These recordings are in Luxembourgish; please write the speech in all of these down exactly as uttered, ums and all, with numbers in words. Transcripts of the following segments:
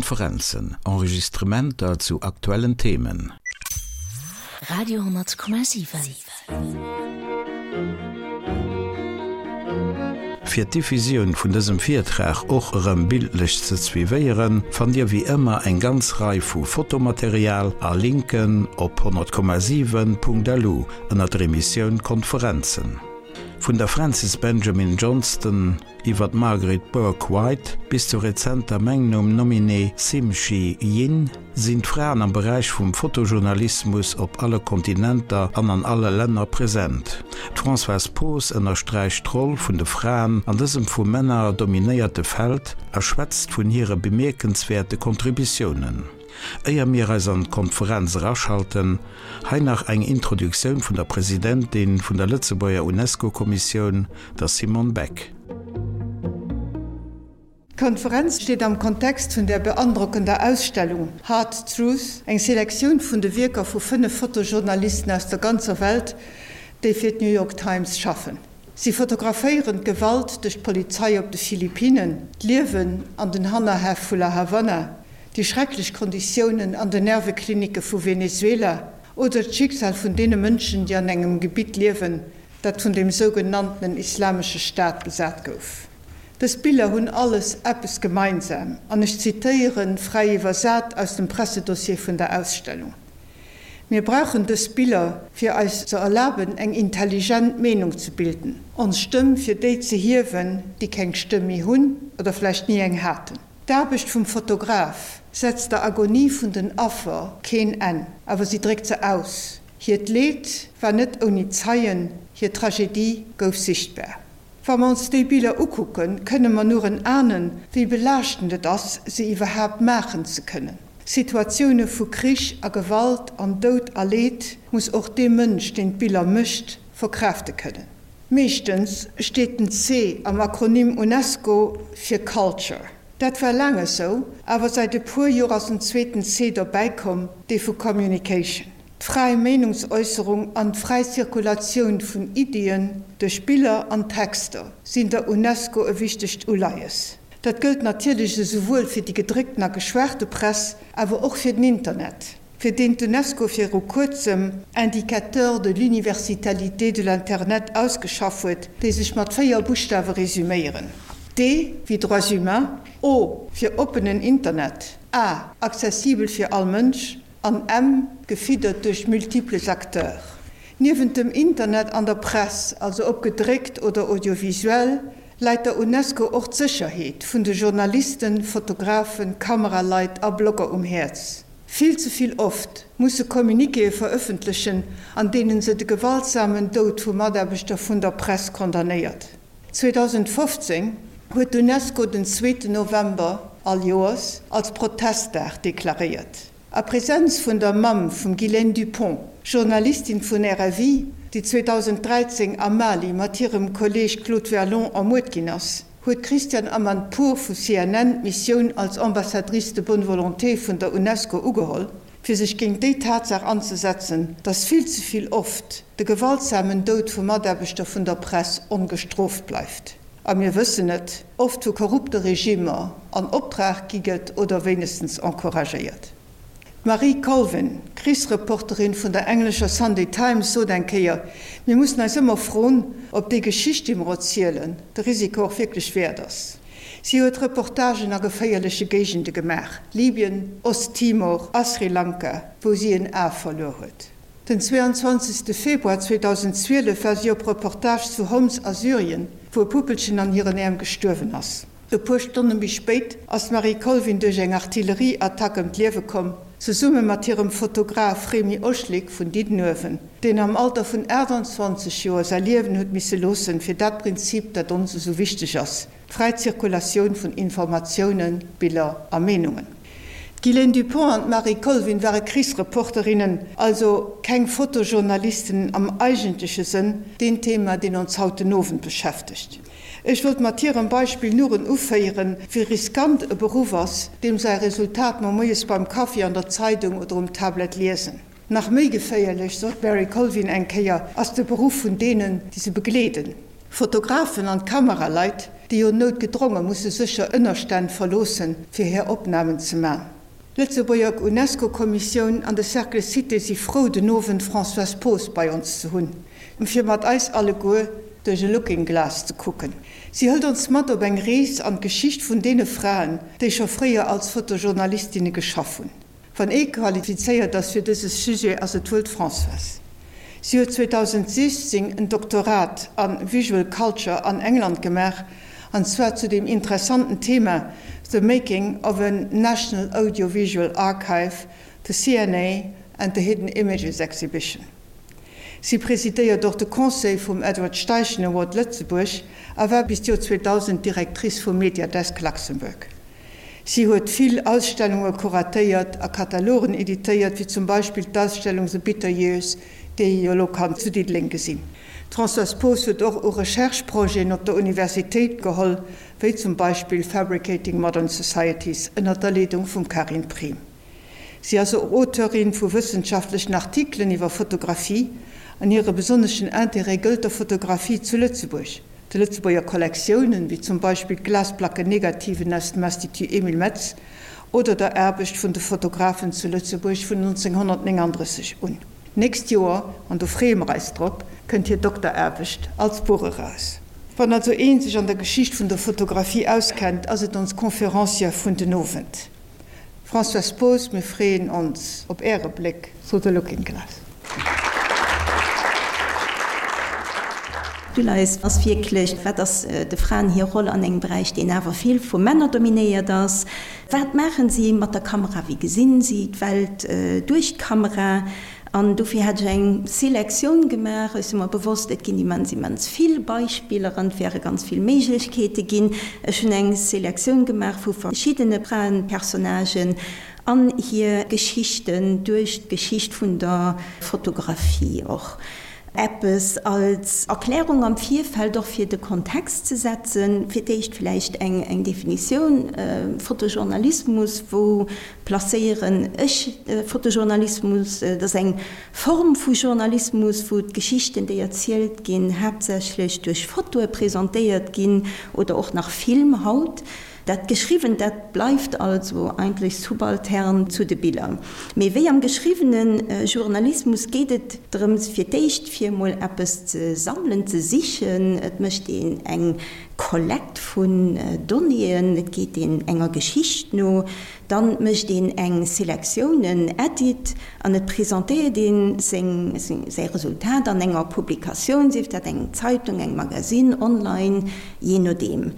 Konferenzen, Enregistrementer zu aktuellen Themen. Radio hundert Komma siwen. Fir d'Diffusioun vun dësem Virtrag och erëm bildlech ze suivéieren, fannt Dir wéi ëmmer eng ganz Rei vu Fotomaterial a Linken op honnert Komma siwen Punkt lu ënnert der Emissioun Konferenzen. Vun der Frances Benjamin Johnston iwwer d'Margaret Bourke-White bis zur rezenter Magnum-Nominee Sim Shee Yin sinn d'Fraen am Beräich vum Fotojournalismus op alle Kontinenter an an alle Länner present. D'Françoise Poos ënnersträicht d'Roll vun de Fraen an dësem vu Männer dominéierte Feld a schwätzt vun hire bemierkenswäerte Contributiounen. Éier mir eis an d'Konferenz eraschalten, hei nach eng Introduktioun vun der Presidentin vun der Lëtzebuerger UNESCO-Kommissioun, der Simone Beck. D'Konferenz steet am Kontext vun der beandrockender Ausstellung Hard Truth, eng Selektioun vun de Wierker vu fënnef Fotojournalisten aus der ganzer Welt, déi fir d'New York Times schaffen. Si fotograféieren d'Gewalt duerch d'Polizei op de Philippinen, d'Liewen an den Hannerhäff vu La Havanna, déi schrecklech Konditiounen an den Nerveklinicke vu Venezuela oder d'Schicksal vun deene Mënschen, déi an engem Gebitt liewen, dat vun dem sougenanntenen Islamesche Staat besat gouf. Dës Biller hunn alles eppes gemeinsam, an ech zitéiere fräi iwwersat aus dem Pressedossier vun der Ausstellung, Mir brauchen dës Biller, fir eis ze erlaben, eng intelligent Meenung ze bilden, ons Stëmm fir déi ze hiewen, déi keng Stëmm méi hunn oder vläicht ni eng haten. D'Aarbecht vum Fotograf setzt der Agonie vun den Affer keen Enn, awer si dréckt se aus. Hiert Leed war net ouni Zeien, hir Tragedie gouf sichtbar. Wa mer ons déi Biller ukucken, kënne mer nuren ahnen, wéi belaaschtend et ass, se iwwerhaapt maachen ze kënnen. Situatioune vu Krich a Gewalt an Doud a Leed muss och dee Mënsch, deen d'Biller mécht, verkraafte kënnen. Meeschtens steet den C am Akronym UNESCO fir Culture. Dat war laang esou, awer säit e puer Joer ass en zweeten C dobäikomm, dee vu Communication. D'fräi Meenungsäusserung an d'fräi Zirkulatioun vun Iddien duerch Biller an Texter sinn der UNESCO e wichtegt Uleies. Dat gëllt natierlech esouwuel fir déi gedréckten a geschwaarte Press, awer och fir den Internet, fir deen d'UNESCO viru kuerzem Indicateurs de l'universalité de l'internet ausgeschaff huet, déi sech mat véier Buschtawe resüméieren, D wéi Droits humains, O fir oppenen Internet, A accessibel fir all Mënsch, An M, gefiddert duerch multiples acteurs. Niewent dem Internet an der Press, also ob gedréckt oder audiovisuell, läit der Unesco och d'Sécherheet vun de Journalisten, Fotografen, Kameraleit a Blogger um Häerz. Vill ze vill oft muss se Communiquéë verëffentlechen, an deenen se de gewaltsamen Doud vu Mataarbechter vun der Press condamnéiert. zweedausendfofzéng huet d'Unesco den zweeten November all Joers als Protestdag deklaréiert. A Presenz vun der Mamm vum Guylaine Dupont, Journalistin vun R F I, déi zweedausend dräizéng am Mali mat hirem Kolleeg Claude Verlon ermuert ginn ass, huet d'Christiane Amanpour vu C N N d'Missioun als Ambassadrice de bonne volonté vun der Unesco ugeholl, fir sech géint déi Tatsaach anzesetzen, datt vill ze vill oft de gewaltsamen Doud vu Mataarbechter vun der Press ongestrooft bleift. A mir wëssen et, oft vu korrupte Regimmer an Optrag gi gëtt oder wéinegstens encouragéiert. D'Marie Colvin, Krichsreporterin vun der englescher Sunday Times, sot eng Kéier, Mir mussen eis ëmmer froen, ob déi Geschicht, déi mer erzielen, de Risiko och wierklech wäert ass. Si huet Reportagen a geféierleche Géigende gemaach, Libyen, Ost-Timor a Sri Lanka, wou si en A verluer huet. Den zweeanzwanzegste Februar zweedausendzwielef war si op Reportage zu Homs a Syrien, wou e Puppelchen an hiren Äerm gestuerwen ass. E puer Stonne méi spéit ass d'Marie Colvin duerch eng Artillerieattack ëm d'Liewe komm, zesumme mat hirem Fotograf Rémy Ochlik vun Diddenuewen, deen am Alter vun aachtanzwanzeg Joer säi Liewen huet misse loossen, fir dat Prinzip, dat ons esou wichteg ass, d'fräi Zirkulatioun vun Informatiounen, Biller a Meenungen. D'Guylaine Dupont an d'Marie Colvin ware Krichsreporterinnen, also keng Fotojournalisten am eigentleche Sënn, deen Thema, deen ons haut den Owend beschäftegt. Ech wollt mat hirem Beispill nuren uféieren, wéi riskant e Beruff ass, deem säi Resultat mer moies beim Kaffi an der Zeidung oder um Tablet liesen. Nach méi geféierlech, sot d'Mary Colvin eng Kéier, ass de Beruff vun deenen, déi se begleeden, Fotografen an Kameraleit, déi jo noutgedronge musse sécher Ënnerstänn verloossen, fir hir Opnamen ze man. D'Lëtzebuerger UNESCO-Kommissioun an de Cercle Cité si frou, den Owend d'Françoise Poos bei ons ze hunn, fir mat eis alleguer duerch e Looking Glass ze kucken. Si hëlt ons mat op eng Rees an d'Geschicht vun deene Fraen, déi scho fréier als Fotojournalistinne geschaff hunn. Wann ee qualifizéiert ass fir dëse Sujet, ass et wuel d'Françoise. Si huet zweedausendsiechzéng en Doktorat a Visual Culture an England gemaach, an zwar zu dem interessanten Thema The Making of a National Audiovisual Archive, the C N A and the Hidden Images Exhibition. Si presidéiert och de Conseil vum Edward Steichen Award Lëtzebuerg a war bis d'Joer zweedausend Directrice vum Mediadesk Luxembourg. Si huet vill Ausstellunge kuratéiert a Katalogen editéiert, wéi zum Beispill d'Ausstellung The Bitter Years, déi ee jo elo kann zu Diddeleng gesinn. D'Françoise Poos huet och u Recherche-Projeten op der Universitéit geholl, wéi zum Beispill Fabricating Modern Societies ënner der Leedung vum Karin Priem. Si ass och Auteurin vu wëssenschaftlechen Artikelen iwwer Fotografie an hire besonneschen Interêt gëllt der Fotografie zu Lëtzebuerg, de Lëtzebuerger Kollektiounen, wéi zum Beispill d'Glasplackennegativen aus dem Institut Emile Metz, oder der Aarbecht vun de Fotografen zu Lëtzebuerg vun nonzénghonnertnénganddrësseg un. D'nächst Joer, an do freeë mer eis drop, kënnt hir Dokteraarbecht als Buch eraus. Wann also ee sech an der Geschicht vun der Fotografie auskennt, ass et ons Conférencière vun den Owend. Françoise Poos, mir freeën ons op Äre Bléck through the looking glass. D'Uleies ass wierklech, wat ass de Fraen hir Roll an engem Beräich, deen awer vill vu Männer dominéiert ass? Wat maachen si mat der Kamera? Wéi gesinn si d'Welt duerch d'Kamera? An dofir hat ech eng Selektioun gemaach. Ech si mer bewosst, et ginn immens, immens vill Beispiller an et wäre ganz vill Méiglechkeete ginn. Ech hunn eng Selektioun gemaach vu verschiddene Fraenpersonnagen an hir Geschichten duerch d'Geschicht vun der Fotografie och. Eppes als Erklärung am Virfeld och fir de Kontext ze setzen, fir d'éischt vläicht eng eng Definitioun, Fotojournalismus, wou placéieren ech Fotojournalismus? Dat ass eng Form vu Journalismus, wou d'Geschichten, déi erzielt ginn, haaptsächlech duerch Fotoe presentéiert ginn oder och nach Film haut. Dat Geschriwwent, dat bleift also eigentlech subaltern zu de Biller. Mee wéi am geschriwwene Journalismus geet et drëms, fir d'éischt fir emol eppes ze sammelen, ze sichen. Et mécht een eng Kollekt vun Donnéeën, et geet een enger Geschicht no, dann mécht een eng Selektioun, en Edit, an et presentéiert een seng, säi Resultat an enger Publikatioun, sief dat eng Zeitung, eng Magasinn, online, jee nodeem.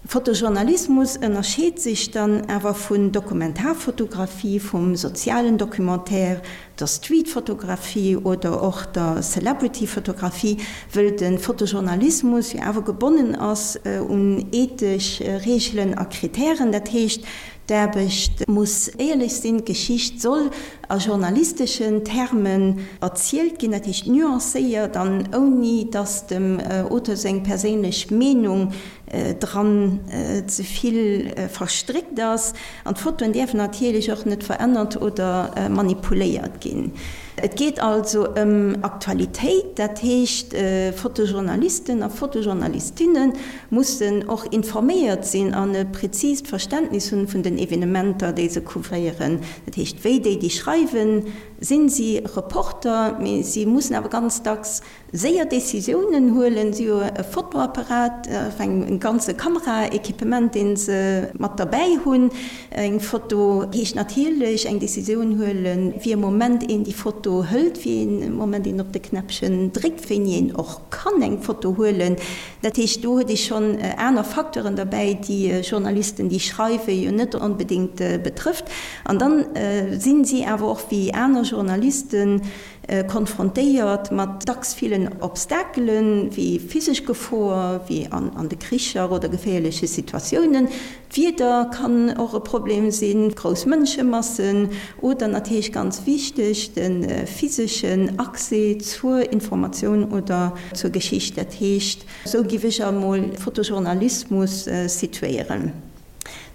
Fotojournalismus ënnerscheet sech dann awer vun Dokumentarfotografie, vum sozialen Documentaire, der Streetfotografie oder och der Celebrityfotografie, wëll de Fotojournalismus jo awer gebonnen ass un ethesch Reegelen a Kritären. Dat heescht, d'Aarbecht muss éierlech sinn, d'Geschicht soll a journalisteschen Termen erzielt ginn, dat heescht nuancéiert an ouni datt dem Auteur seng perséinlech Meenung dran ze vill verstréckt ass. An d'Fotoen däerfen natierlech och net verännert oder manipuléiert ginn. Et geet also ëm Aktualitéit, dat heescht Fotojournalisten a Fotojournalistinne mussen och informéiert sinn an e präzist Verständnis hunn vun den Evenementer, déi se couvréieren. Dat heescht, wéi déi, déi schreiwen, sinn si Reporter, mee si mussen awer ganz dacks séier Decisiounen huelen. Si hu e Fotoapparat, enfin e ganze Kameraequipement, dee se mat derbäi hunn. Eng Foto heescht natierlech eng Decisioun huelen, wéi e Moment een déi Foto hëlt, wéi ee Moment een op de Knäppchen dréckt, wéini een och kann eng Foto huelen. Dat heescht, do huet ee schonn aner Facteuren derbäi, déi Journalisten, déi schreiwen, jo net onbedéngt betrëfft. An dann si si awer och wéi aner Journalisten konfrontéiert mat dacks villen Obstakelen, wéi physesch Gefor, wéi an de Kricher oder geféierleche Situatiounen. D'Wieder kann och e Problem sinn, grouss Mënschemassen oder natierlech ganz wichteg, de physeschen Accès zur Informatioun oder zur Geschicht. Dat heescht, esou giff ech emol Fotojournalismus situéieren.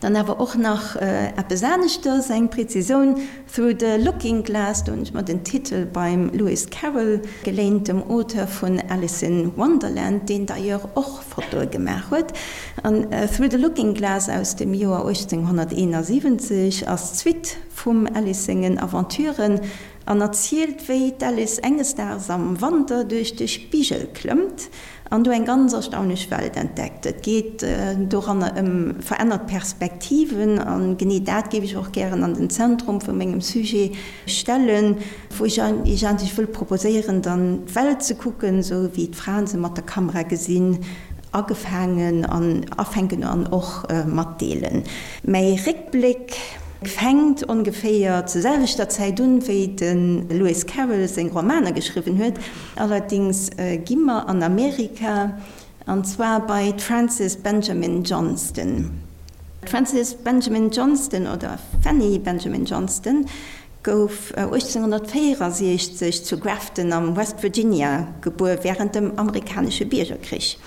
Dann awer och nach eppes aneschters, eng Präzisioun, Through the Looking Glass, do hunn ech mer den Titel beim Lewis Carroll geléint, dem Auteur vun Alice in Wonderland, deen d'ailleurs och Fotoe gemaach huet. An Through the Looking Glass aus dem Joer uechtzénghonnerteenasiwwenzeg ass d'Suite vum Alice sengen Aventuren an erzielt, wéi d'Alice enges Daags am Wanter duerch de Spigel klëmmt an do eng ganz erstaunlech Welt entdeckt. Et geet doranner ëm verännert Perspektiven a genee dat géif ech och gären an den Zentrum vu mengem Sujet stellen, wou ech Iech eigentlech wëll proposéieren, dann d'Welt ze kucken, esou wéi d'Fraen se mat der Kamera gesinn, agefaangen an afänken an och matdeelen. Mäi Réckbléck fänkt ongeféier zur selwechter Zäit un, wéi de Lewis Carroll seng Romaner geschriwwen huet. Allerdings gi mer an Amerika, an zwar bei d'Frances Benjamin Johnston. D'Frances Benjamin Johnston, oder Fanny Benjamin Johnston, gouf uechtzénghonnertvéierasiechzeg zu Grafton am West Virginia gebuer, wärend dem amerikanesche Biergerkrich.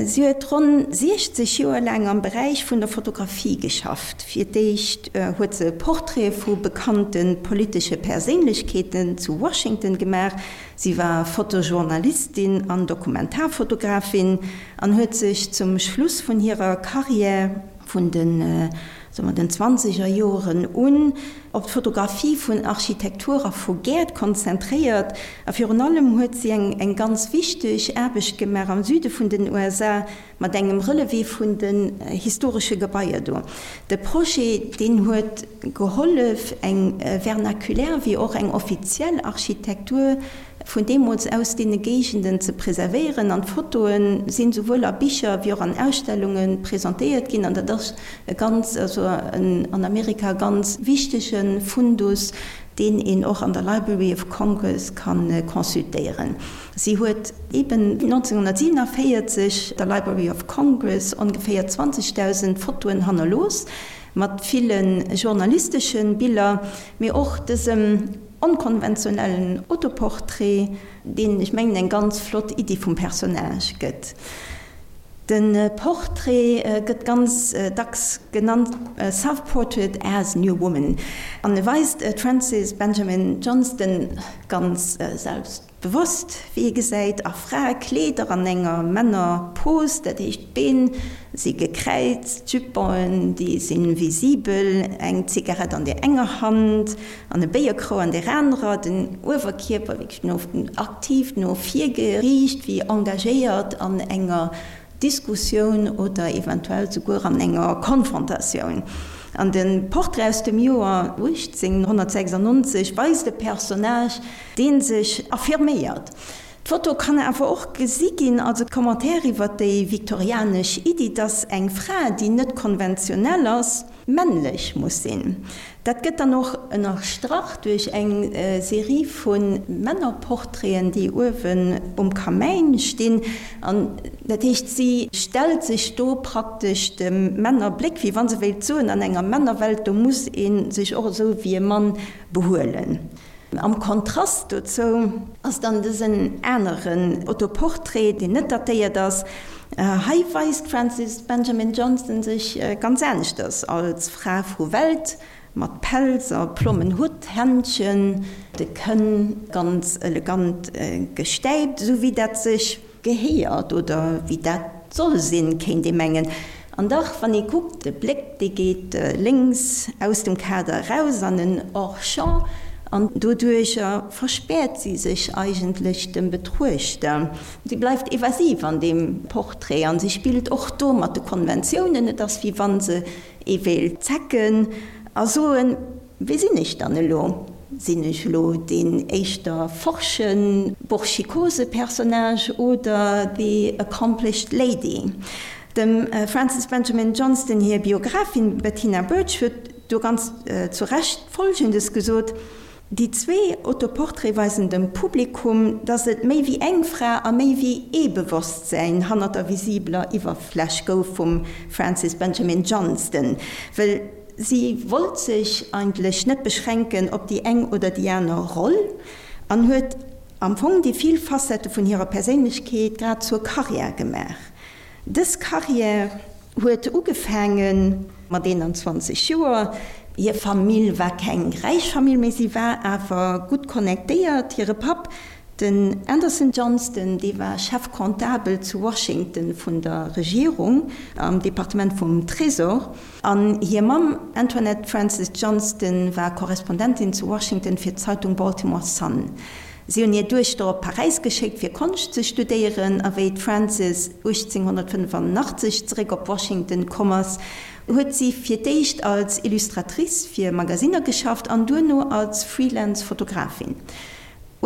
Si huet ronn siechzeg Joer laang am Beräich vun der Fotografie geschafft. Fir d'éischt huet se Portraite vu bekannte politesche Perséinlechkeeten zu Washington gemaach. Si war Fotojournalistin an Dokumentarfotografin an huet sech zum Schluss vun hirer Karriär vun den soe mer den zwanzeger Joren un, op d'Fotografie vun Architektur a vu Gäert konzentréiert. A virun allem huet si eng eng ganz wichteg Aarbecht gemaach am Süde vun den U S A mat engem Relevé vun den historesche Gebaier do. De Projet, deen huet gehollef, eng vernakulär wéi och eng offiziell Architektur vun deemools aus deene Géigenden ze preservéieren an d'Fotoe sinn souwuel a Bicher wéi och an Ausstellunge presentéiert ginn an dat ass e ganz, also en an Amerika ganz wichtege Fundus, deen een och an der Library of Congress ka consultéieren. Si huet eben nonzénghonnertsiewenenvéierzeg der Library of Congress ongeféier zwanzegdausend Fotoen hannerlooss, mat ville journalistesche Biller, mee och dësem onkonventionellen Autoportrait, deen, ech mengen, eng ganz flott Iddi vum Personnage gëtt. De Portrait gëtt ganz dacks genannt Self-Portrait as New Woman an e weist d'Frances Benjamin Johnston ganz selbstbewosst, wéi ee gesäit, a Fraekleeder an enger Männer-Pose, dat heescht d'Been si gekräizt, d'Juponen, déi si visibel, eng Zigarett an där enger Hand an e Béierkrou an där anerer, den Uewerkierper wierklech no aktiv no vir geriicht, wéi engagéiert an enger Diskussioun oder eventuell souguer an enger Konfrontatioun. An de Portrait aus dem Joer uechtzénghonnertsechsannonzeg weist e Personnage, dee sech affirméiert. D'Foto kann awer och gesi ginn als e Commentaire iwwer déi viktorianesch Iddi, dass eng Fra, déi net konventionell ass, männlech muss sinn. Dat gëtt dann och ënnerstrach duerch eng Serie vu Männerportraiten, déi uewen um Kamäin stinn. An dat heescht, si stellt sech do praktesch dem Männerbléck, wéi wa se wéilt soen, an enger Männerwelt, do muss ee sech och esou wéi e Mann behuelen. Am Kontrast dozou ass dann dësen aneren Autoportrait, deen net datéiert ass. Hei weist d'Frances Benjamin Johnston sech ganz aneschters, als Fra vu Welt, mat Pelz a plommen Hutt, Händchen, de Kënn ganz elegant gestäipt, esou wéi dat sech gehéiert oder wéi dat soll sinn, kéint ee mengen. An dach, wann ee kuckt, de Bléck, dee geet lénks aus dem Kader eraus an en Hors-champ, an doduercher verspäert si sech eigentlech dem Betruechter. Si bleift evasiv an deem Portrait an si spillt och do mat de Konventiounen. Et ass, wéi wa se ee wéilt zecken a soen, Wie sinn ech dann elo? Sinn ech elo deen éischter forschen, burschikose Personnage oder the accomplished lady? Dem Frances Benjamin Johnston hir Biographin Bettina Birch huet do ganz zu Recht Folgendes gesot, Déi zwee Autoportraite weisen dem Publikum, datt et méi wéi eng Fra a méi wéi ee Bewosstsäin hannert der visibeler Iwwerfläch gouf vum Frances Benjamin Johnston, well si wollt sech eigentlech net beschränken op déi eng oder déi aner Roll an huet am Fong déi vill Facettë vun hirer Perséinlechkeet grad zur Karriär gemaach. Dës Karriär Huet ugefaange mat eenanzwanzeg Joer. Hir Famill war keng räich Famill, mee si war awer gutt connectéiert. Hire Papp, den Anderson Johnston, dee war Chefcomptabel zu Washington vun der Regierung, am Departement vum Trésor. An hir Mamm, Antoinette Frances Johnston, war Korrespondentin zu Washington fir d'Zeitung Baltimore Sun. Si hunn hir Duechter op Paräis geschéckt, fir Konscht ze studéieren, a wéi d'Frances uechtzénghonnertfënnefannachtzeg zeréck op Washington komm ass, huet si fir d'éischt als Illustratrice fir Magasinner geschafft an duerno als Freelance-Fotografin.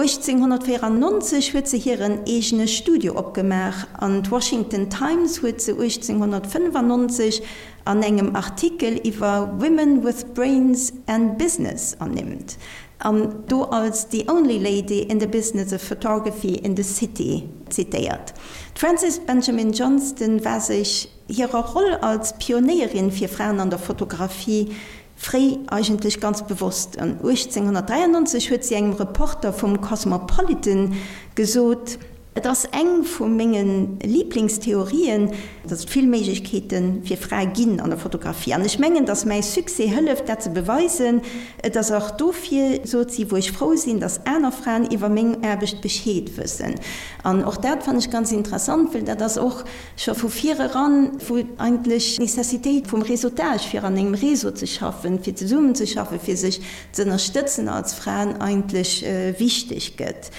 uechtzénghonnertvéierannonzeg huet se hiren eegene Studio opgemaach an d'Washington Times huet se uechtzénghonnertfënnefannonzeg an engem Artikel iwwer Women with Brains and Business ernimmt an do als the only lady in the business of photography in the city zitéiert. D'Frances Benjamin Johnston war sech hirer Roll als Pionéierin fir Fraen an der Fotografie fréi eigentlech ganz bewosst. An uechtzénghonnertdräiannonzeg huet si engem Reporter vum Cosmopolitan gesot, Et ass eng vu menge Liblingstheorien, datt et vill Méiglechkeete fir Frae ginn an der Fotografie. An ech mengen, datt mäi Succès hëlleft, dat ze beweisen. Et ass och dofir, sot si, wou ech frou sinn, datt aner Fraen iwwer meng Aarbecht Bescheed wëssen. An och dat fannen ech ganz interessant, well dat ass och scho vu vir eran, wou eigentlech d'Necessitéit vum Réseautage, fir an engem Réseau ze schaffen, fir zesummen ze schaffen, fir sech z'ënnerstëtzen als Fraen eigentlech wichteg gëtt.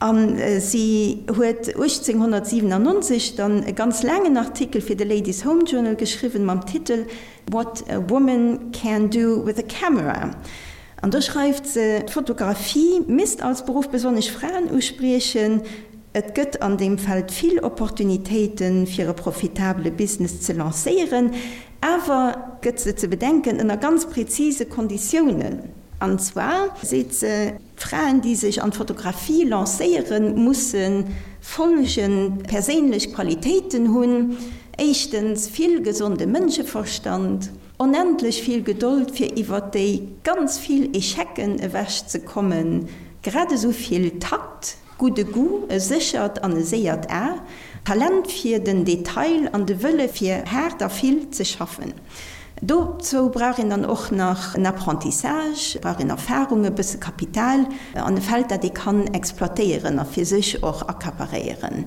A si huet uechtzénghonnertsiwenannonzeg dann e ganz laangen Artikel fir de Ladies Home Journal geschriwwen mam Titel What a Woman Can Do With a Camera. An do schreift se, D'Fotografie misst als Beruff besonnesch Fraen uspriechen. Et gëtt an deem Feld vill Opportunitéiten, fir e profitabele Business ze lancéieren. Awer, gëtt se ze bedenken, ënner ganz prezise Konditiounen. An zwar seet se, Fraen, déi sech an d'Fotografie lancéieren, musse folgend perséinlech Qualitéiten hunn, éischtens vill gesonde Mënscheverstand, onendlech vill Gedold fir iwwer déi ganz vill Echecen ewech ze kommen, grad esou vill Takt, gudde Goût, e séchert an e séiert A, Talent fir den Detail an de Wëlle fir haart a vill ze schaffen. Dozou brauch een dann och nach en Apprentissage, brauch een Erfahrung, e bësse Kapital an e Feld, dat ee kann exploitéieren a fir sech och accaparéieren.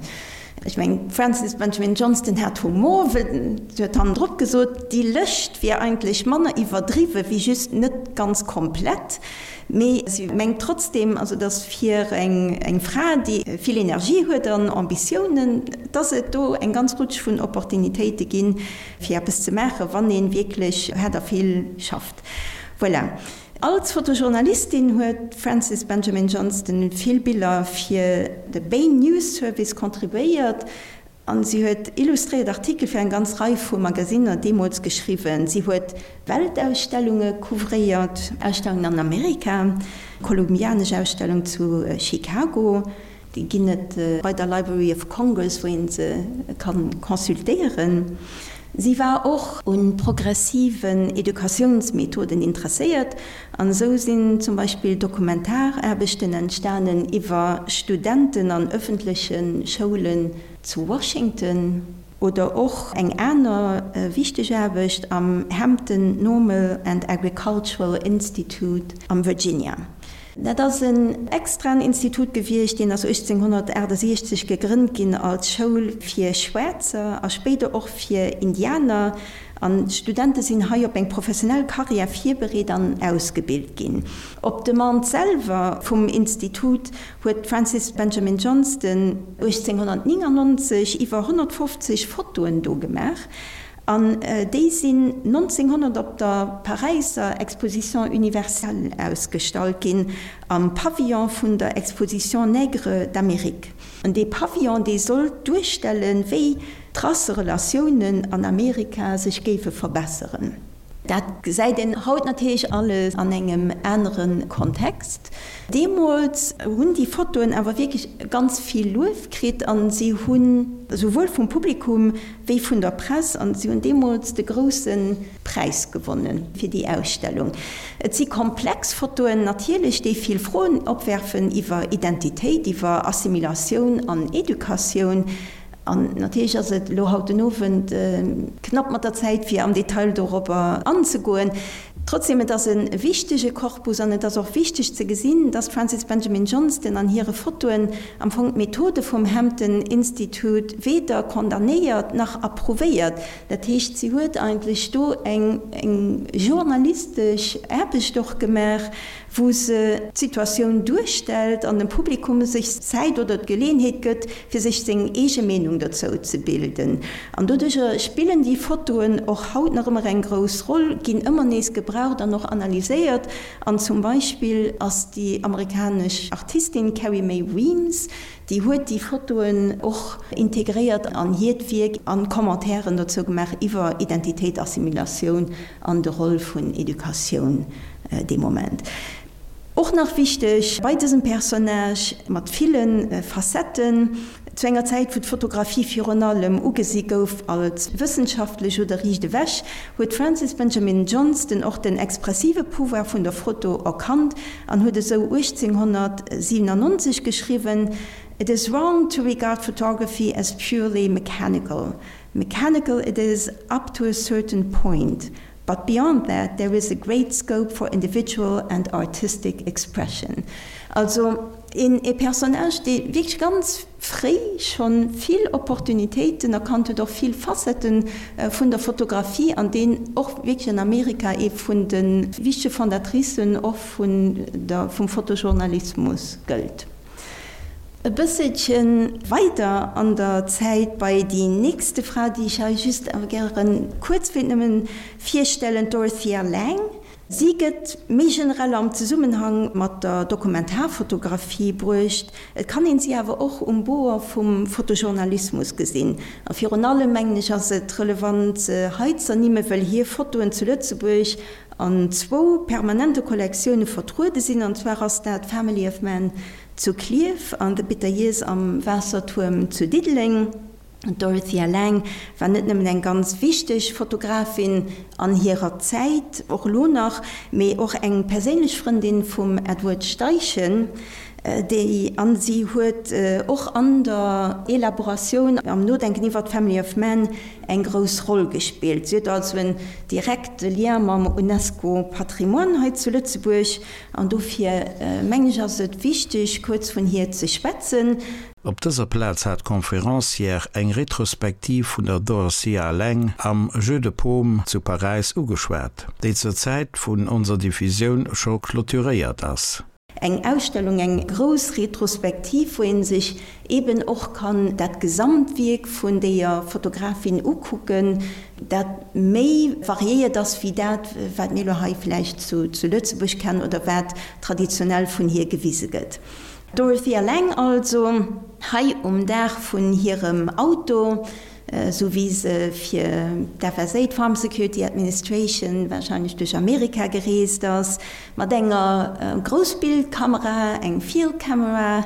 Ech mengen, d'Frances Benjamin Johnston hat Humor, well si huet hannendrop gesot, déi Lëscht wier eigentlech manner iwwerdriwwe wéi just net ganz komplett. Mee si mengt trotzdeem, also datt fir eng Fra, déi vill Energie huet an Ambitiounen, datt et do eng ganz Rutsch vun Opportunitéite ginn, fir eppes ze maachen, wann ee wierklech haart a vill schafft. Voilà. Als Fotojournalistin huet d'Frances Benjamin Johnston vill Biller fir de Bay News Service contribuéiert an si huet illustréiert Artikel fir eng ganz Rei vu Magasinner deemools geschriwwen. Si huet Weltausstellunge couvréiert, Ausstellungen an Amerika, kolumbianesch Ausstellung zu Chicago, Déi ginn et bei der Library of Congress, wou een se ka consultéieren. Si war och u progressiven Educatiounsmethoden interesséiert an esou sinn zum Beispill Dokumentaraarbechten entstanen iwwer Studenten an ëffentleche Schoulen zu Washington. Oder och eng aner wichteg Aarbecht am Hampton Normal and Agricultural Institute am Virginia. Dat ass en extraen Institut gewiescht, deen ass uechtzénghonnertaachtasechzeg gegrënnt ginn als Schoul fir Schwaarzer a spéider och fir Indianer. An d'Studente sinn hei op eng professionell Karriär virbereet an ausgebilt ginn. Op Demande selwer vum Institut huet d'Frances Benjamin Johnston uechtzénghonnertnéngannonzeg iwwer honnertfofzeg Fotoen do gemaach. An déi sinn nonzénghonnert op der Paräisser Exposition universelle ausgestallt ginn, am Pavillon vun der Exposition Nègres d'Amérique. An dee Pavillon, dee sollt duerstellen, wéi d'Rasserelatiounen an Amerika sech géife verbesseren. Dat gesäit een haut natierlech alles an engem anere Kontext. Deemools hunn déi Fotoen awer wierklech ganz vill Luef kritt a si hunn esouwuel vum Publikum wéi vun der Press an si hunn deemools de grousse Präis gewonne fir déi Ausstellung. Et si komplex Fotoen natierlech, déi vill Froen opwerfen iwwer Identitéit, iwwer Assimilatioun an Educatioun. An natierlech ass et elo haut den Owend knapp mat der Zäit, fir am Detail dorobber anzegoen. Trotzdem, et ass e wichtege Korpus an et ass och wichteg ze gesinn, dass d'Frances Benjamin Johnston an hire Fotoen am Fong d'Methode vum Hampton Institute weder condamnéiert nach approuvéiert. Dat heescht, si huet eigentlech do eng eng journalistesch Aarbecht och gemaach, wou se d'Situatioun duerstellt an dem Publikum sech Zäit oder d'Geleeënheet gëtt, fir sech seng eege Meenung dozou ze bilden. An doduercher spillen déi Fotoen och haut nach ëmmer eng grouss Roll, ginn ëmmer nees gebraucht an och analyséiert. An zum Beispill ass déi amerikanesch Artistin Carrie Mae Weems, déi huet déi Fotoen och integréiert an hiert Wierk an Commentairen dozou gemaach iwwer Identitéit, Assimilatioun an de Roll vun Educatioun dee Moment. Och nach wichteg bei dësem Personnage mat ville Facetten, Zu enger Zäit, wou d'Fotografie virun allem ugesi gouf als wëssenschaftlech oder riicht ewech, huet d'Frances Benjamin Johnston och den expressive Pouvoir vun der Foto erkannt an huet esou uechtzénghonnertsiwenannonzeg geschriwwen, It is wrong to regard photography as purely mechanical. Mechanical it is up to a certain point. But beyond that there is a great scope for individual and artistic expression. Also een e Personnage, dee wierklech ganz fréi scho vill Opportunitéiten erkannt huet, och vill Facettë vun der Fotografie an deen och wierklech an Amerika ee vun de wichtege Fondatricen och vun der, vum Fotojournalismus gëllt. E bësselche weider an der Zäit bei déi nächste Fra, déi ech hei just awer gäre kuerz wéilt nëmmen virstellen, d'Dorothea Lange. Si gëtt méi generell am Zesummenhang mat der Dokumentarfotografie bruecht. Et kann een si awer och um Bord vum Fotojournalismus gesinn. A virun allem, mengen ech, ass et relevant se hei z'ernimmen, well hir Fotoen zu Lëtzebuerg an zwou permanente Kollektioune vertruede sinn, an zwar ass dat Family of Man zu Klierf an The Bitter Years am Waassertuerm zu Diddeleng. D'Dorothea Lange war net nëmmen eng ganz wichteg Fotografin an hirer Zäit, och elo nach, mee och eng perséinlech Frëndin vum Edward Steichen, déi an si huet och an der Elaboratioun, am Nodenken iwwer d'Family of Man eng grouss Roll gespillt. Si huet also en direkte Lien mam UNESCO-Patrimoine hei zu Lëtzebuerg an dofir mengen ech ass et wichteg kuerz vun hir ze schwätzen. Op dëser Plaz hat d'Conférencière eng Retrospektiv vun der Dorothea Lange am Jeu de Paume zu Paräis ugeschwat, déi zur Zäit vun onser Diffusioun scho clôturéiert ass. Eng Ausstellung, eng grouss Retrospektiv, wou ee sech eben och kann dat Gesamtwierk vun deeër Fotografin ukucken, dat méi variéiert ass wéi dat, wat mir elo hei vläicht zu Lëtzebuerg kennen oder wat traditionell vun hir gewise gëtt. D'Dorothea Lange also, hei um Daach vun hirem Auto, esou wéi se fir d'F S A, d'Farm Security Administration, warscheinlech duerch Amerika gereest ass, mat enger Groussbildkamera, eng Field Camera,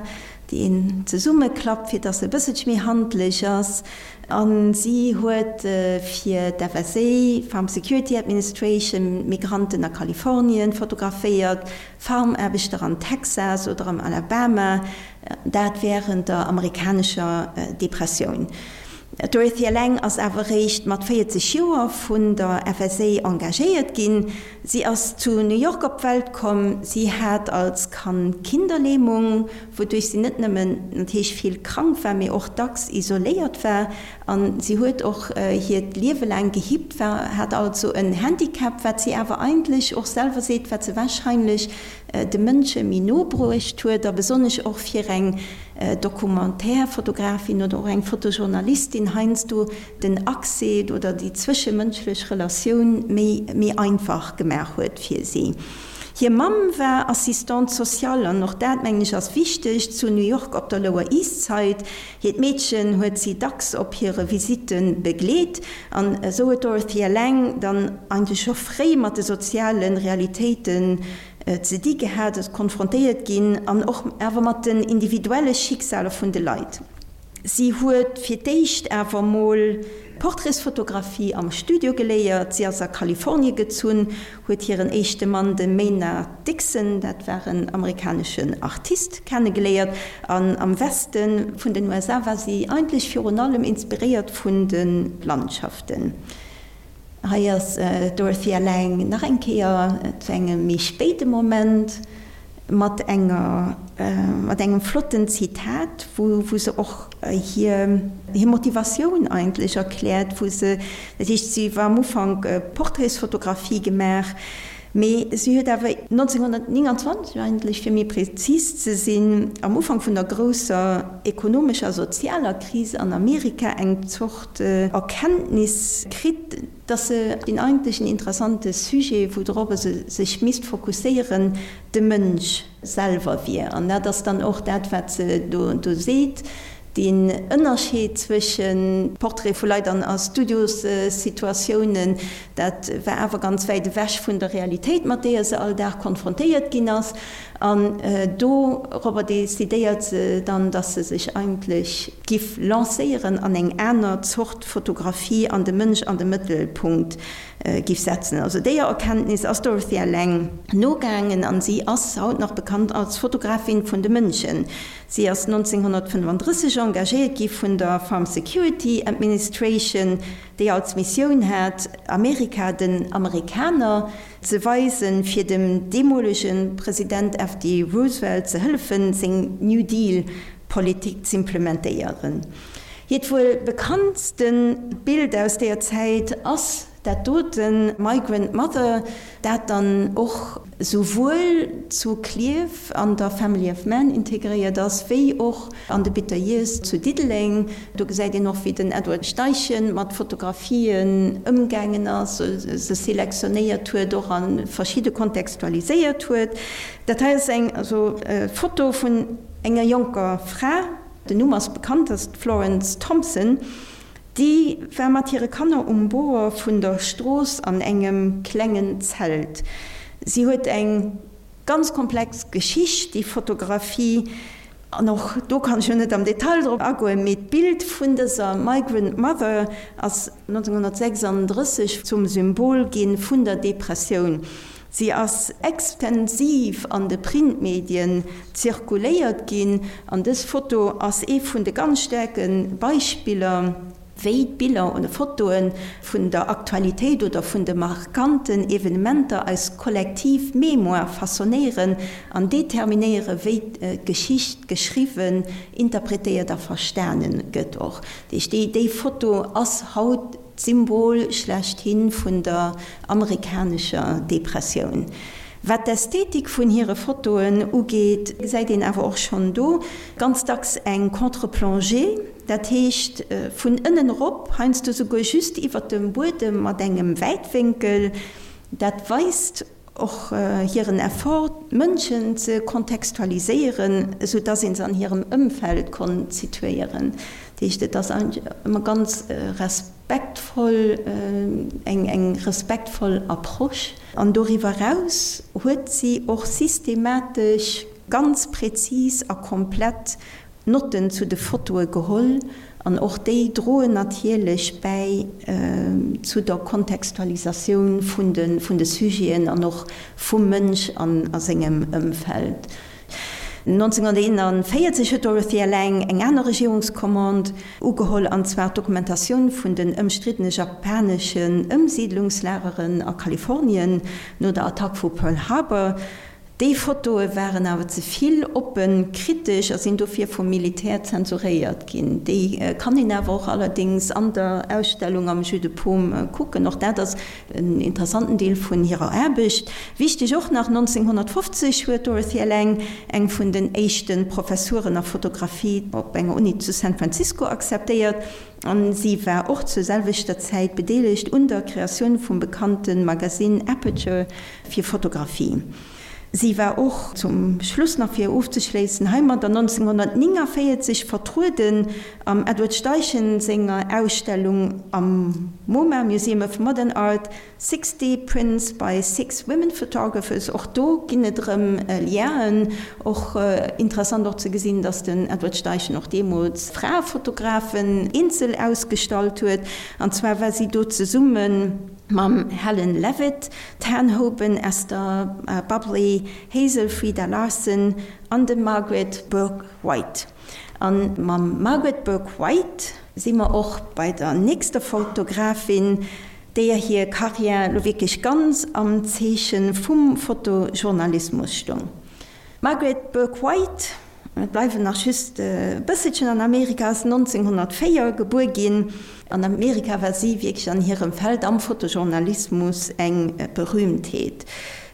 déi een zesummeklappt, fir dass se e bësselche méi handlech ass. A si huet fir d'F S A, Farm Security Administration, Migranten a Kalifornien fotograféiert, Farmaarbechter an Texas oder am Alabama, dat wärend der amerikanescher Depressioun. D'Dorothea Lange ass awer eréischt mat véierzeg Joer vun der F S A engagéiert ginn. Si ass zu New York op d'Welt komm. Si hat als Kand Kinderlähmung, wouduerch si net nëmmen natierlech vill krank war, mee och dacks isoléiert war. A si huet och hiert Liewe laang gehippt, war hat also en Handicap, wat si awer eigentlech och selwer seet, wat se warscheinlech de Mënsche méi no bruecht huet a besonnesch och fir eng Documentaire-Fotografin oder och eng Fotojournalistin heiansdo den Accès oder déi zwëschemënschlech Relatioun méi méi einfach gemaach huet fir si. Hir Mamm war Assistante sociale, an och dat, mengen ech, ass wichteg, zu New York op der Lower East Side. Hiert Meedchen huet si dacks op hire Visitte begleet, an esou huet d'Dorothea Lange dann eigentlech scho fréi mat de soziale Realitéiten ze di gehat, ass konfrontéiert ginn an och awer mat den individuelle Schicksaler vun de Leit. Si huet fir d'éischt awer mol Portraitsfotografie am Studio geléiert. Si ass a Kalifornie gezunn, huet hiren éischte Mann, de Maynard Dixon, dat war en amerikaneschen Artist, kennegeléiert. An am Weste vun den U S A war si eigentlech virun allem inspiréiert vun de Landschaften. Hei ass d'Dorothea Lange nach eng Kéier zu engem méi spéide Moment mat enger, mat engem flotten Zitat, wou, wou se och hir, hir Motivatioun eigentlech erkläert, wou se, dat heescht, si war am Ufank Portraitsfotografie gemaach, mee si huet awer neunzehnhundertneunundzwanzeg eigentlech, fir méi präzis ze sinn, am Ufank vun der grousser ekonomescher, sozialer Krise an Amerika eng Zort Erkenntnis kritt, dass se den eigentlichen interessante Sujet, woudrop se sech misst fokusséieren, de Mënsch selwer wier. An dat ass dann och dat, wat se do, do seet, den Ënnerscheed zwëschen Portrait vu Leit an a Studiossituatiounen, dat war awer ganz wäit ewech vun der Realitéit, mat deeër se all Dag konfrontéiert ginn ass. An dorobber decidéiert se dann, dass se sech eigentlech giff lancéieren an eng aner Zort Fotografie an de Mënsch an de Mëttelpunkt giff setzen. Also déier Erkenntnis ass Dorothea Lange nogaangen an si ass haut nach bekannt als Fotografin vun de Mënschen. Si ass neunzehnhundertfünfunddrësseg engagéiert gi vun der Farm Security Administration, déi als Missioun hat, Amerika den Amerikaner ze weisen, fir dem deemolegen President F D Roosevelt ze hëllefen, seng New Deal-Politik ze implementéieren. Hiert wuel bekanntsten Bild aus der Zäit ass dat doten Migrant Mother, dat dann och souwuel zu Klierf an der Family of Man integréiert ass, wéi och an de Bitter Years zu Diddeleng. Do gesäit een och, wéi den Edward Steichen mat Fotografien ëmgaangen ass, se selektionéiert huet, och an verschiedene kontextualiséiert huet. Dat hei ass eng, also, Foto vun enger jonker Fra, den Numm ass bekannt, das ist Florence Thompson, déi war mat hire Kanner um Bord vun der Strooss an engem klengen Zelt. Si huet eng ganz komplex Geschicht, déi Fotografie, an och do kann ich jo net am Detail drop agoen, mee d'Bild vun dëser Migrant Mother ass neunzehnhundertsechsunddrësseg zum Symbol ginn vun der Depressioun. Si ass extensiv an de Printmedien zirkuléiert ginn, an dës Foto ass ee vun de ganz staarke Beispiller, wéi d'Biller oder Fotoen vun der Aktualitéit oder vun de markanten Evenementer als kollektiv Mémoire façonnéieren an determinéiere, wéi d'Geschicht geschriwwen, interpretéiert a verstanen gëtt och. Déi, déi Foto ass haut d'Symbol schlechthin vun der amerikanescher Depressioun. Wat d'Ästhetik vun hire Fotoen ugeet, gesäit een awer och schonn do ganz dacks eng Contre-plongée, dat heescht vun ënnen erop, heiansdo souguer just iwwer dem Buedem mat engem Wäitwénkel. Dat weist och hiren Effort, Mënschen ze kontextualiséieren, sou dass een se an hirem Ëmfeld konnt situéieren. Dat heescht, et ass ëmmer ganz respektvoll, eng, eng respektvoll Approche. An doriwwer raus huet si och systematesch ganz präzis a komplett Notten zu de Fotoe geholl an och déi droen natierlech bäi, äh, zu der Kontextualisatioun vun de, vun de Sujeten an och vum Mënsch an, a sengem Ëmfeld. neunzehnhunderteinundvierzig huet Dorothea Lange eng aner Regierungskommand ugeholl, an zwar d'Dokumentatioun vun den ëmstriddene japaneschen Ëmsiedlungslageren a Kalifornien no der Attack vu Pearl Harbor. Déi Fotoe waren awer ze vill oppen, kritesch a sinn dofir vum Militär zensuréiert ginn. Déi kann een awer och allerdings an der Ausstellung am Jeu de Paume kucken. Och dat ass en interessanten Deel vun hirer Aarbecht. Wichteg och nach neunzehnhundertfünfzig huet Dorothea Lange eng vun den éischten Professuren a Fotografie op enger Uni zu San Francisco akzeptéiert. An si war och zur selwechter Zäit bedeelegt un der Kreatioun vum bekannten Magazin Aperture fir Fotografie. Si war och, zum Schluss nach fir ofzeschléissen, heimadder nonzénghonnertnéngavéierzeg vertrueden am Edward Steichen senger Ausstellung am MoMA, Museum of Modern Art, Sixty Prints by Six Women Photographers. Och do ginn et erëm Lienen. Och interessant och ze gesinn, dass den Edward Steichen och deemools Fraefotografen eenzel ausgestallt huet. An zwar war si do zesumme mam Helen Levitt, d'Ann Hoeben, Esther Bubley, Hazel Frieda Larson an dem Margaret Bourke-White. A mam Margaret Bourke-White si mer och bei der nächster Fotografin, deeër hir Karriär lo wierklech ganz am Zeeche vum Fotojournalismus stoung. D'Margaret Bourke-White, mir bleiwen nach just e bësselchen an Amerika, ass nonzénghonnertvéier gebuer ginn. An Amerika war si wierklech an hirem Feld am Fotojournalismus eng Berühmtheet.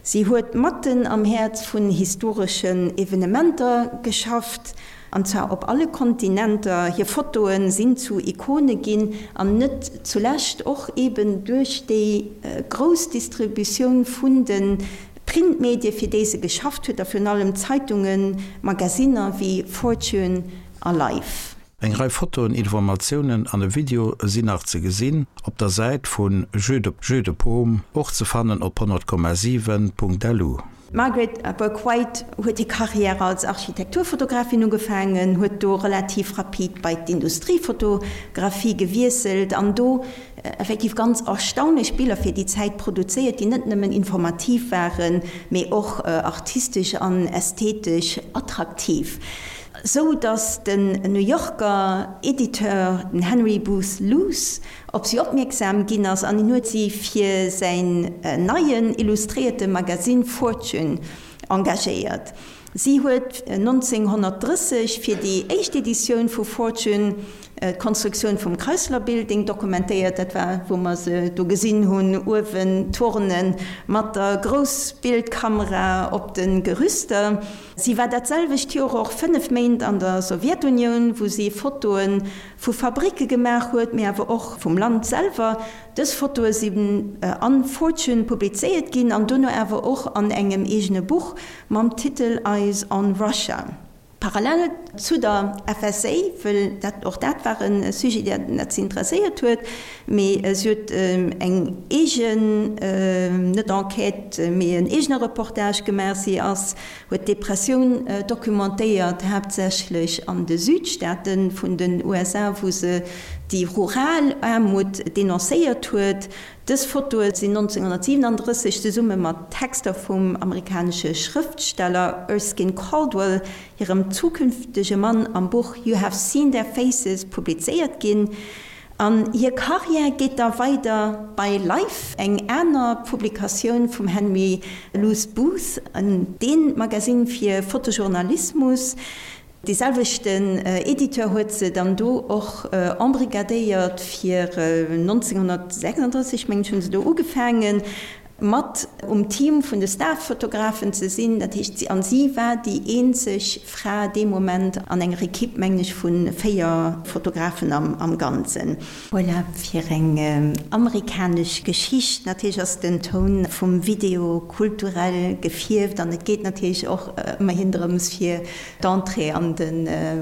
Si huet matten am Häerz vun historeschen Evenementer geschafft, an zwar op alle Kontinenter. Hir Fotoe sinn zu Ikone ginn, an net zulescht och eben duerch déi grouss Distributioun vun de Printmedie fir déi se geschafft huet, a virun allem Zeitungen, Magasinner wéi Fortune a Life. Eng Rei Fotoen, Informatiounen an e Video sinn nach ze gesinn op der Säit vun Jeu de Jeu de Paume, och ze fannen op honnert Komma siwen Punkt lu. D'Margaret Bourke-White huet hir Karriär als Architekturfotografin ugefaangen, huet do relativ rapid bei d'Industriefotografie gewiesselt an do effektiv ganz erstaunlech Biller fir déi Zäit produzéiert, déi net nëmmen informativ waren, mee och artistesch an ästhetesch attraktiv, sou datt den New Yorker Editeur, den Henry Booth Luce, op si opmierksam ginn ass an hien huet si fir säin neien illustréierte Magasinn Fortune engagéiert. Si huet nonzénghonnertdrësseg fir déi éischt Editioun vu Fortune d'Konstruktioun vum Chrysler Building dokumentéiert. Dat war, wou mer se do gesinn hunn, uewen turnen mat der Groussbildkamera op de Gerüster. Si war dat selwecht Joer och fënnef Méint an der Sowjetunioun, wou si Fotoe vu Fabricke gemaach huet, mee awer och vum Land selwer. Dës Fotoe sinn an Fortune publizéiert ginn an dono awer och an engem eegene Buch mam Titel Eyes on Russia. Parallel zu der F S A, wëll dat och dat war e Sujet, deen dat si interesséiert huet, mee si huet eng eegen, net Enquête, mee en eegene Reportage gemaach. Si ass, huet d'Depressioun documentéiert, haaptsächlech an de Südstaate vun den U S A, wou se déi rural Aarmut denoncéiert huet. Dës Fotoe sinn nonzénghonnertsiwenandrësseg zesumme mat Texter vum amerikanesche Schrëftsteller Erskine Caldwell, hirem zukünftege Mann, am Buch You Have Seen Their Faces publizéiert ginn. An hir Karriär geet da weider bei Life, eng aner Publikatioun vum Henry Luce Booth, dee Magasinn fir Fotojournalismus. Dee selwechten Editeur huet se dann do och embrigadéiert fir nonzénghonnertsechsandrësseg, mengen ech, hu se do ugefaangen, mat um Team vun de Starfotografen ze sinn. Dat heescht, si, an si war déi eenzeg Fra dee Moment an enger Ekipp, mengen ech, vu véier Fotografen am, am Ganzen. Voilà, fir eng amerikanesch Geschicht. Natierlech ass den Toun vum Video kulturell gefierft an et geet natierlech och ëmmerhin drëms fir d'Entrée an de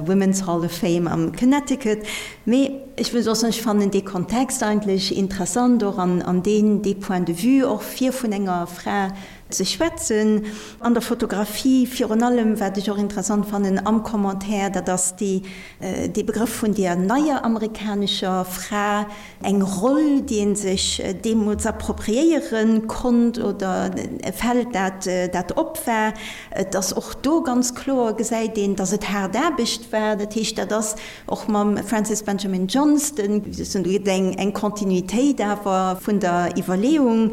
Women's Hall of Fame am Connecticut. Mee ech wëll soss, ech fannen dee Kontext eigentlech interessant och an an deen dee Point de vue och fir vun enger Fra ze schwätzen an der Fotografie. Virun allem wat ech och interessant fannen am Commentaire, dat ass déi dee Begrëff vun der neier amerikanescher Fra, eng Roll déi ee sech deemools appropriéiere konnt oder e Feld dat dat op war. Et ass och do ganz kloer, gesäit een, datt et haart Aarbecht war. Dat heescht, dat ass och mam Frances Benjamin Johnston, do gëtt eng eng Kontinuitéit awer vun der Iwwerleeung.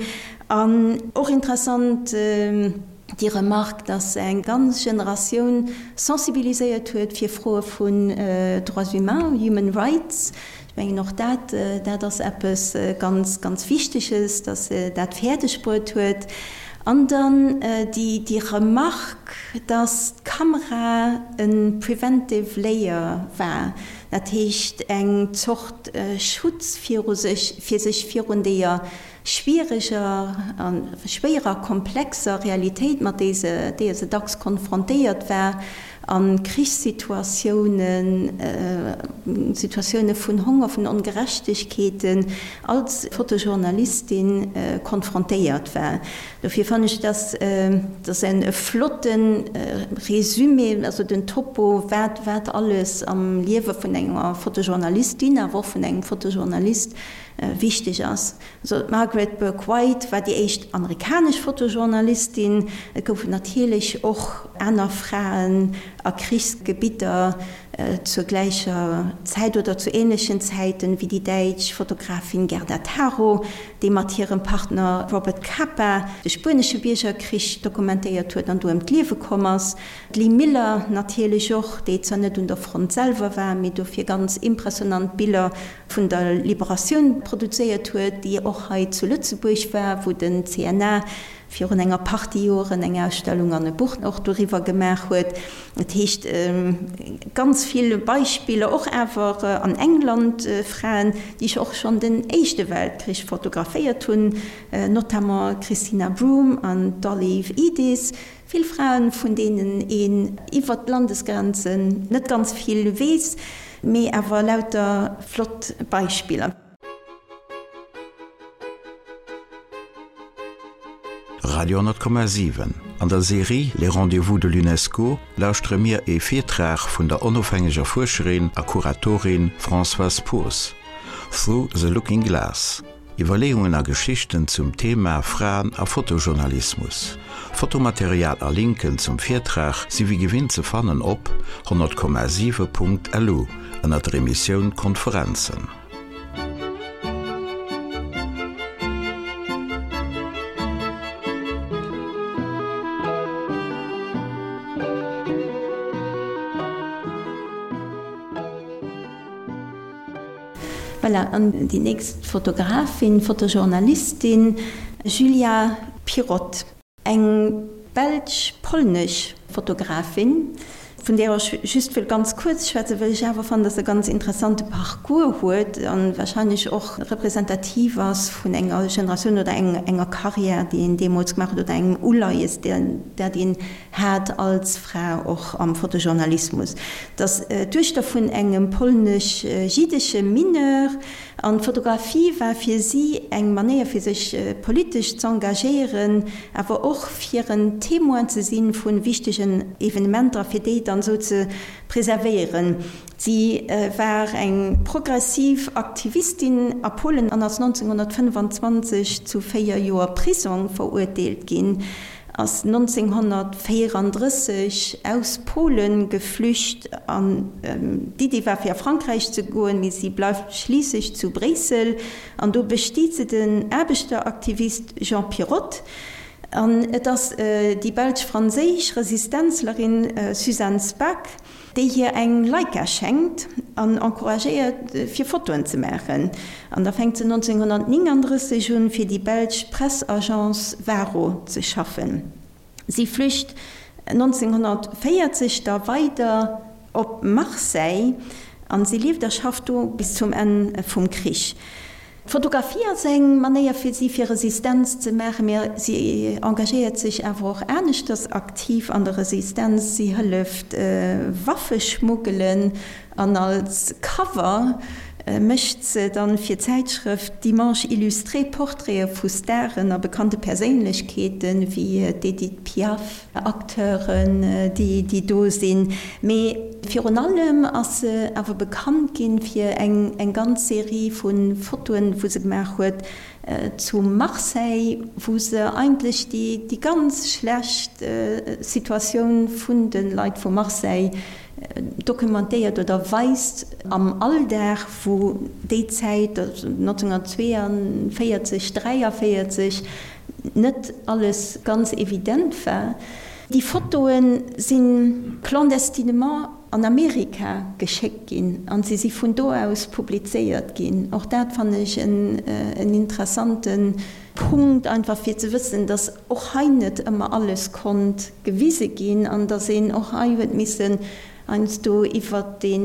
An och interessant déi Remarque, datt se eng ganz Generatioun sensibiliséiert huet fir Froe vun Droits humains, human rights. Ech mengen och dat, dat ass eppes ganz, ganz Wichteges, datt se dat fäerdeg bruet huet. An dann déi, déi Remarque, datt d'Kamera e preventive layer war, dat heescht eng Zort Schutz viru sech, fir sech virun deeër schwiereger a schwéierer, komplexer Realitéit, mat deeër se dacks konfrontéiert war, a Krichssituatiounen, Situatioune vun Honger, vun Ongerechtegkeeten als Fotojournalistin konfrontéiert war. Dofir fannen ech, dass dass en e flotte Résumé, also den Topo, wat wat alles am Liewe vun enger Fotojournalistin, awer och vun engem Fotojournalist wichteg ass. Also d'Margaret Bourke-White war déi éischt amerikanesch Fotojournalistin. Et goufen natierlech och aner Fraen a Krichsgebitter zur gläicher Zäit oder zu änlechen Zäiten, wéi déi däitsch Fotografin Gerda Taro, déi mat hirem Partner Robert Capa de Spuenesche Biergerkrich dokumentéiert huet an do ëm d'Liewe komm ass. D'Lee Miller natierlech och, déi zwar net un der Front selwer war, mee dofir ganz impressionant Biller vun der Liberatioun produzéiert huet, déi och hei zu Lëtzebuerg war, wou den C N A virun enger Partie Joren eng Ausstellung an e Buch och doriwwer gemaach huet. Dat heescht, ganz vill Beispiller, och awer an England Fraen, déi och schonn den Éischte Weltkrich fotograféiert hunn, notamment d'Christina Broom an d'Olive Edis. Vill Fraen, vun deenen een iwwert d'Landesgrenzen net ganz vill weess, mee awer lauter flott Beispiller. Radio honnert Komma siwen An der Serie Les Rendez-vous de l'UNESCO lauschtere mir ee Virtrag vun der onofhängeger Fuerscherin a Kuratorin Françoise Poos. Through the Looking Glass. Iwwerleeungen a Geschichten zum Thema Fraen a Fotojournalismus. Fotomaterial a Linken zum Virtrag si wéi gewinnt ze fannen op honnert Komma siwe Punkt lu ënner der Emissioun Konferenzen. Voilà, an déi nächst Fotografin, Fotojournalistin, Julia Pirot, eng belsch-polnesch Fotografin, vun där ech just wëll ganz kuerz schwätzen, well ech awer fannen, dass se e ganz interessante Parcours huet an wahrscheinlech och representativ ass vun enger Generatioun oder enger Carrière, déi een deemools gemaach huet, oder engem Uleies, dat een hat als Fra och am Fotojournalismus. Dass d'Duechter vun engem polnesch-jiddesche Mineur an d'Fotografie war fir si eng Manéier, fir sech politesch z'engagéieren, awer och fir en Témoin ze sinn vu wichtegen Evenementer, fir déi dann esou ze preservéieren. Si war eng progressiv Aktivistin a Polen an ass neunzehnhundertfünfundzwanzig zu véier Joer Prisong verurteelt ginn, ass neunzehnhundertvierunddrësseg aus Polen geflücht an d'Idee war fir a Frankräich ze goen, mee si bleift schliisslech zu Bréissel an do besteet se den Aarbechteraktivist Jean Pirot. An et ass déi belsch-franséisch Resistenzlerin Suzanne Spaak, déi hir eng Leica schenkt an encouragéiert, fir Fotoen ze maachen. An da fänkt se neunzehnhundertneununddrësseg un, fir déi belsch Pressagence Varo ze schaffen. Si flücht neunzehnhundertvierzig da weider op Marseille an si lieft a schafft do bis zum Enn vum Krich. D'Fotografie ass eng Manéier fir si fir Resistenz ze maachen, mee si engagéiert sech awer och aneschters aktiv an der Resistenz. Si hëlleft Waffe schmuggelen an als Cover mécht se dann fir d'Zäitschrëft Dimanche Illustré Portraite vu Staren a bekannte Perséinlechkeeten wéi d'Edith Piaf, Acteuren, déi déi do sinn. Mee virun allem ass se awer bekannt ginn fir eng eng ganz Serie vu Fotoen, wou se gemaach huet zu Marseille, wou se eigentlech déi déi ganz schlecht Situatioun vun de Leit vu Marseille dokumentéiert oder weist am Alldag, wou déi Zäit, also neunzehnhundertzweiundvierzig, dräiundvierzig, net alles ganz evident war. Déi Fotoe si clandestinement an Amerika geschéckt ginn an si si vun do aus publizéiert ginn. Och dat fannen ech en, en interessante Punkt, einfach fir ze wëssen, dass och hei net ëmmer alles konnt gewise ginn an dass een och hei huet missen heiansdo iwwer de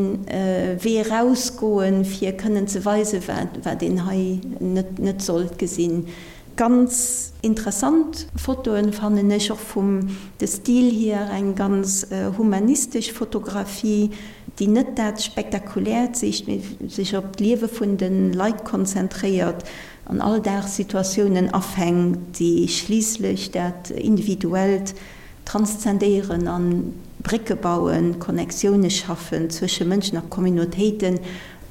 Wee erausgoen, fir kënnen ze weisen, wat, wat een hei net, net sollt gesinn. Ganz interessant Fotoen, fannen ech, och vum de Stil hier eng ganz humanistesch Fotografie, déi net dat Spektakuläert sicht, mee sech op d'Liewe vun de Leit konzentréiert an Alldagssituatiounen afänkt, déi schliisslech dat Individuellt transzendéieren an Brécke bauen, Connectioune schaffen zwësche Mënschen a Communautéiten.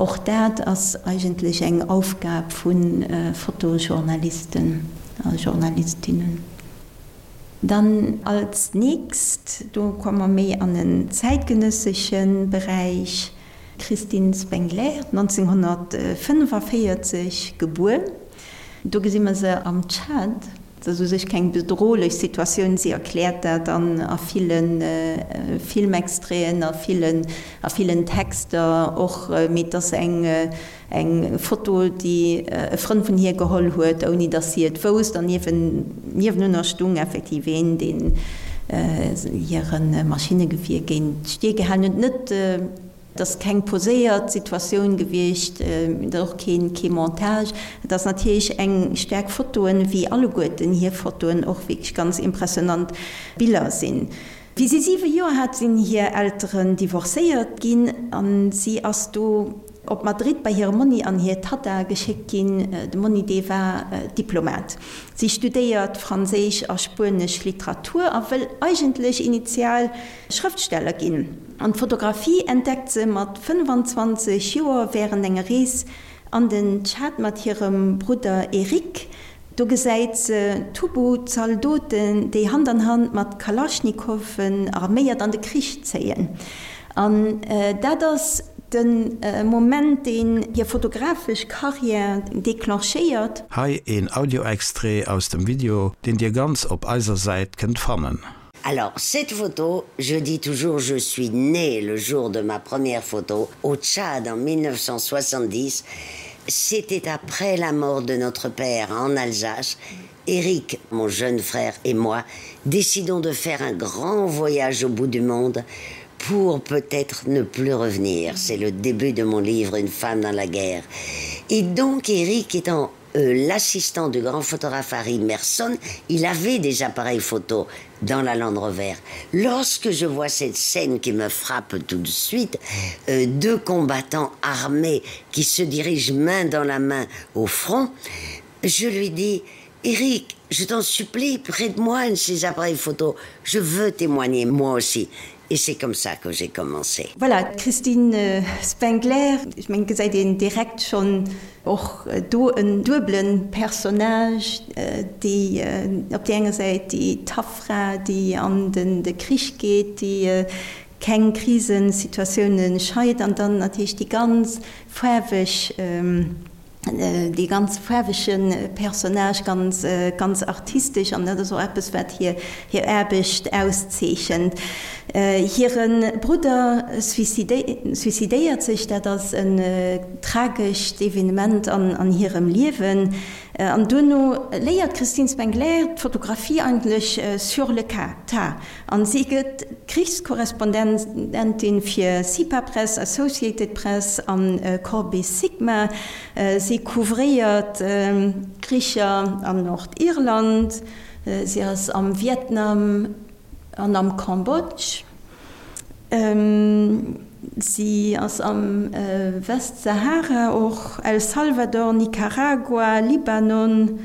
Och dat ass eigentlech eng Aufgab vu Fotojournalisten a Journalistinnen. Dann als nächst, do komme mer méi an en zäitgenëssesche Beräich, Christine Spengler, nonzénghonnertfënnefaféierzeg gebuer. Do gesi mer se am Tschad. Et ass u sech keng bedrohlech Situatioun, si erkläert dat an a ville Filmextraiten, a villen, a villen Texter och, mee et ass eng, eng Foto, déi e Frënd vun hir geholl huet, ouni datt si et wousst, an niewen, niewenunner stung effektiv een, deen hire Maschinnegewier géint d'Stier gehalen huet. Net. Et ass keng poséiert Situatioun gewiescht, et ass och kee Montage. Et ass natierlech eng staark Fotoen, wéi alleguerten hir Fotoen och wierklech ganz impressionant Biller sinn. Wéi si siwe Joer hat, sinn hir Elteren divorcéiert ginn a si ass do op Madrid bei hire Monni an hir Tatta geschéckt ginn. De Monni, dee war Diplomat. Si studéiert franséisch a spuenesch Literatur a wëll eigentlech initial Schrëftsteller ginn. An d'Fotografie entdeckt se mat fënnefanzwanzeg Joer wärend enger Rees an den Tschad mat hirem Brudder Eric. Do gesäit se Tubu-Zaldoten, déi Hand an Hand mat Kalaschnikowen arméiert an de Krich zéien. An dat ass de Moment, deen hir fotografesch Karriär declenchéiert. Hei een Audio-Extrait aus dem Video, deen dir ganz op eiser Säit kënnt fannen. Alors, cette photo, je dis toujours, je suis née le jour de ma première photo au Tchad en mille neuf cent soixante-dix. C'était après la mort de notre père en Alsace. Eric, mon jeune frère et moi décidons de faire un grand voyage au bout du monde pour peut-être ne plus revenir. C'est le début de mon livre Une femme dans la guerre. Et donc Eric étant euh, l'assistant du grand photographe Harry Merson, il avait des appareils photo dans la Land Rover. Lorsque je vois cette scène qui me frappe tout de suite, euh, deux combattants armés qui se dirigent main dans la main au front, je lui dis: Eric, je t'en supplie, prête-moi un de ces appareils photo. Je veux témoigner moi aussi. Et c'est comme ça que j'ai commencé. Voilà, d'Christine Spengler, ech mengen, gesäit een direkt schonn och do en duebele Personnage, déi op där enger Säit déi tough Fra, déi an de Krich geet, déi keng Krisensituatioune scheit, an dann natierlech déi ganz faarweg, Dee ganz faarwege Personnage, ganz, ganz artistesch, an dat ass och eppes, wat hir, hir Aarbecht auszeechent. Hire Brudder suicidéiert sech, dat ass en tragescht Evenement an, an hirem Liewen. An duerno léiert d'Christine Spengler d'Fotografie eigentlech sur le tas, an si gëtt Krichskorrespondentin fir Sipa Press, Associated Press an Corbis Sigma. Si couvréiert Kricher an Nordirland, si ass am Vietnam an am Cambodge, si ass am Westsahara och, El Salvador, Nicaragua, Libanon,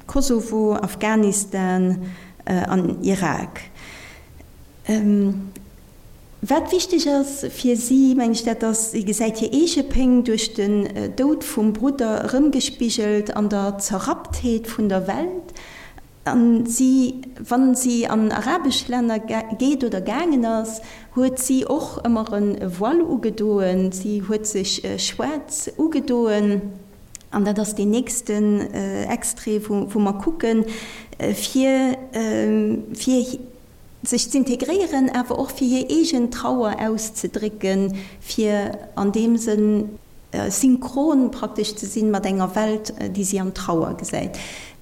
Kosovo, Afghanistan an Irak. Wat wichteg ass fir si, meng ech, dat ass, si gesäit hir eege Péng duerch den Doud vum Brudder erëmgespigelt an der Zerrapptheet vun der Welt. An si, wa si an arabesch Länner geet oder gaangen ass, huet si och ëmmer e Voile ugedoen, si huet sech schwaarz ugedoen. An dat ass deen nächsten Extrait, wou mer kucken, fir fir sech z'integréieren, awer och fir hir eegen Trauer auszedrécken, fir an deem Sënn synchron praktesch ze sinn mat enger Welt, déi si an Trauer gesäit.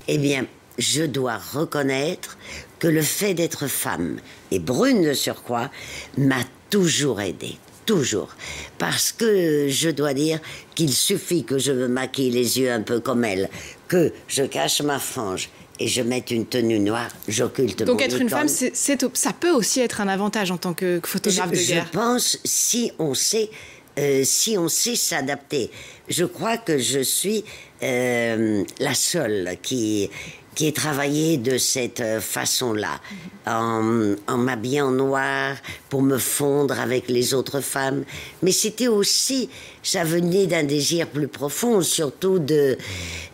Eh bien, je dois reconnaître que le fait d'être femme, et brune de surcroît, m'a toujours aidée. Toujours. Parce que je dois dire qu'il suffit que je me maquille les yeux un peu comme elle, que je cache ma frange et je mette une tenue noire, j'occulte Donc être une femme, c'est, ça peut aussi être un avantage en tant que photographe je, de guerre. Je pense si on sait euh, si on sait s'adapter. Je crois que je suis euh, la seule qui, qui ait travaillé de cette euh, façon-là, en, en m'habillant noir pour me fondre avec les autres femmes. Mais c'était aussi, ça venait d'un désir plus profond, surtout de